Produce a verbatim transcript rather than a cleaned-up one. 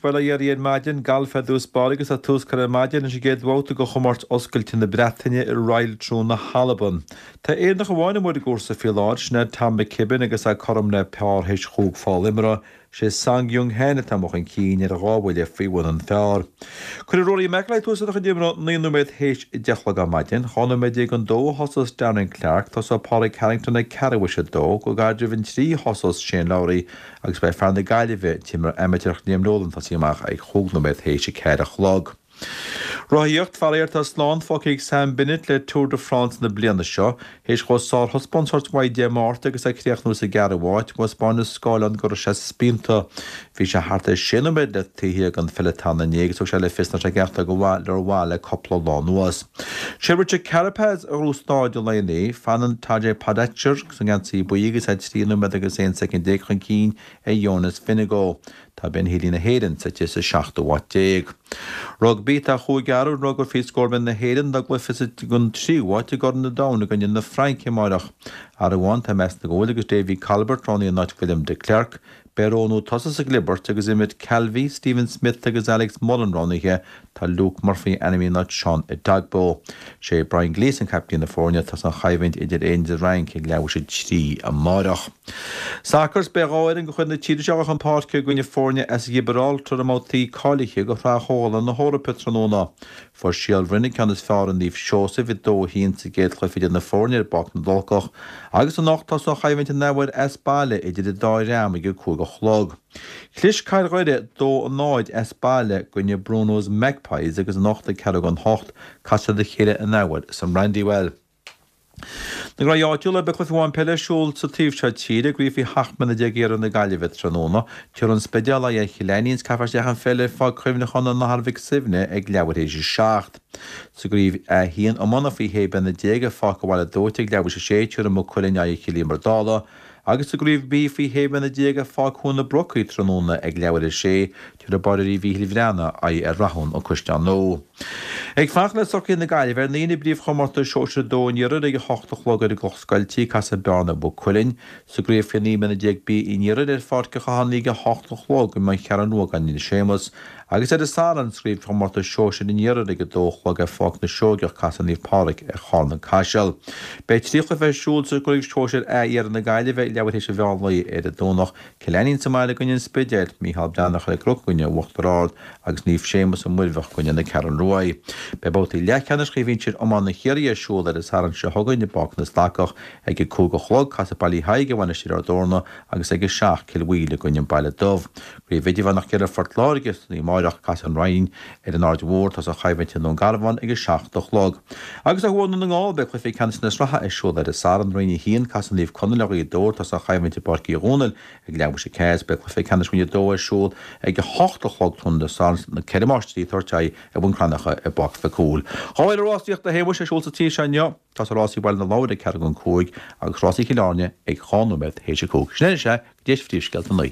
Bhuel, a Dhéirí, ar maidin, galf ar dtús báire agus tá tús curtha ar maidin leis an gcéad bhabhta de chomórtas oscailte na Breataine i Royal Troon na hAlban. Tá Éireannach amháin amuigh ar an gcúrsa faoi láthair, sin é Tom McKibbin agus é cothrom le pár théis chúig pholl imeartha. Sé Sung Yeung Han atá amuigh chun cinn ar dhá bhuille faoi bhun an phár. Cuirfidh Rory McIlroy tús lena chuid imeartha naoi nóiméad théis a deich a chlog ar maidin. Dhá nóiméad déag don dó a thosós Darren Clarke. Tosóidh Pádraig Harrington ag ceathrú théis a dó. Go gairid roimh an trí a thosós Shane Lowry agus beidh fear na Gaillimhe, an t-imreoir amaitéarach Liam Nolan, ag tosaí amach ag chúig nóiméad théis a ceathair a chlog. Rothaíocht, Faraor tá slán fágtha ag Sam Bennett le Tour de France na bliana seo. Théis dhó sárthaispeántas a thabhairt uaidh Dé Máirt agus é ag críochnú sa gceathrú háit, thaispeáin an scáileán go raibh sé spíonta. Bhí sé thart ar sé nóiméad le taobh thiar den pheloton inné agus thug sé le fios nach raibh sé ag aireachtáil go mhaith le rómhaith le cúpla lá anuas. Sé Richard Carapaz a ghnóthaigh staid an lae inné. Fanann Tadej Pogacar sa ngeansaí buí agus é trí nóiméad agus aon soicind déag chun cinn ar Jonas Vingegaard. Tá Ben Healy na hÉireann suite sa seachtú háit déag. Rugbaí Tá chúig athrú ar an rugrar faoi scór na hÉireann dá gcluiche don tríú háit i gCorn an Domhain i gcoinne na Fraince amárach. Athrú amháin tá measctha go bhfuil agus Davy Colbert roghnaithe in áit William de Klerk, Beidh roghnú tosaigh sa gclibirt agus Emmet Calvey, Stephen Smith agus Alex Mullen roghnaithe tá Luke Murphy ainmnithe in áit Sean Edogbo. Sé Brian Gleeson captaen na foirne tá an choimhlint idir Éirinn is an Fhrainc ag leathuair théis a trí amárach. Soccer beidh dhá fhoireann de chuid na tíre seo chun páirce i gcoinne foirne as Gibraltar i mbabhtaí cáilithe do Shraith Chomhdhála na hEorpa tráthnóna. Fuair Síol Bhroin an ceann is fearr ar Naomh Seosamh i dó a haon sa gcéad chluiche idir na foirne ar bPáirc na dTulcach, agus anocht tá an choimhlint an athuair as baile idir an dá dhream ag a cúig a chlog. Chlis Cathair Dhoire dó a náid as baile i gcoinne Bruno's Magpies agus anocht ag ceathrú don hocht casfaidh siad a chéile an athuair san Brandywell. Na gnaoi áitiúla beidh cluiche amháin peile ar siúl sa taobh seo tíre, i gcraobh faoi sheacht mbliana déag iarthar na Gaillimhe tráthnóna. Tabharfaidh an Spidéal aghaidh ar Chill Ainnín is caithfear isteach an pheil ar Pháirc Chuimhneacháin an Athar Mhic Suibhne ag leathuair théis a seacht. Sa gcraobh A haon iomána faoi shé bliana déag ar Pháirc an Bhaile Dóite ag leathuair théis a sé, tabharfaidh Maigh Cuilinn aghaidh ar Chill Íomair Dála agus sa gcraobh B faoi shé bliana déag ar Pháirc Chuan na Brocaí tráthnóna ag leathuair théis a sé, tabharfaidh Báiréirí Mhíchíl Bhreathnaigh aghaidh ar Rathún An Caisleán Nua. Ag fanacht le socruithe na Gaillimhe ar ndóigh i bpríomhchomórtas Sóisir a dó an Iarthair ag a hocht a chlog ar an gCloch Scoiltí, casfaidh Bearna Maigh Cuilinn. Sa gcraobh faoi naoi mbliana déag B an Iarthair ar Pháirc an Chathánaigh ag a hocht a chlog i mBun Cheathrún Rua gan Séamus agus ar an Satharn sa gcraobhchomórtas Sóisir an Iarthair ag a dó a chlog ar Pháirc na Seoigeach casfaidh Naomh Pádraig ar Charn an Caiseal. Beidh trí chluiche ar siúl sa gcraobh Sóisir A Iarthar na Gaillimhe ag leathuair théis an mheán lae ar an Domhnach, Cill Ainnín sa mbaile i gcoinne an Spidéil, Micheál Breathnach ar an gCnoc i gcoinne Uachtar Ard agus Naomh Séamus i Muirbheach i gcoinne na Ceathrún Ruaidh. Beidh babhtaí leathcheannais Chraobh Shinsir Iomána Chiarraí ar siúl ar an Satharn seo chugainn i bPáirc na Stacach ag a cúig a chlog, casfaidh Baile Uí Thaidhg ar Mhainistir Ard Eorna agus ag a seacht Cill Mhaoile i gcoinne an Baile Dubh. Craobh Idirmheánach Iarthar Phort Láirge san amárach casfaidh an Rinn ar an Aird Mhór tá an choimhlint i nDún Garbhán ag a seacht a chlog. Agus ó thuaidh i nDún na nGall beidh cluichí ceannais na sraithe ar siúl ar an Satharn Roinn a haon casfaidh Naomh Conaill ar Ghaoth Dobhair tá an choimhlint i bPáirc Uí Dhónaill ag leathuair théis a ceathair beidh cluiche ceannais Roinn a dó ar siúl ag a hocht a chlog tráthnóna Dé Sathairn na Ceithre Máistrí ag tabhairt aghaidh ar Bhun Cranncha i bPáirc Mhic Cumhaill. Dhá uair rásaíochta a Shéamuis ar siúl sa tír seo inniu. Tá rásaí Bhaile na Lobhar ag ceathrú don cúig agus rásaí Chill Airne ag dhá nóiméad théis a cúig. Sin é sé go dtí phríomhscéalta naoi.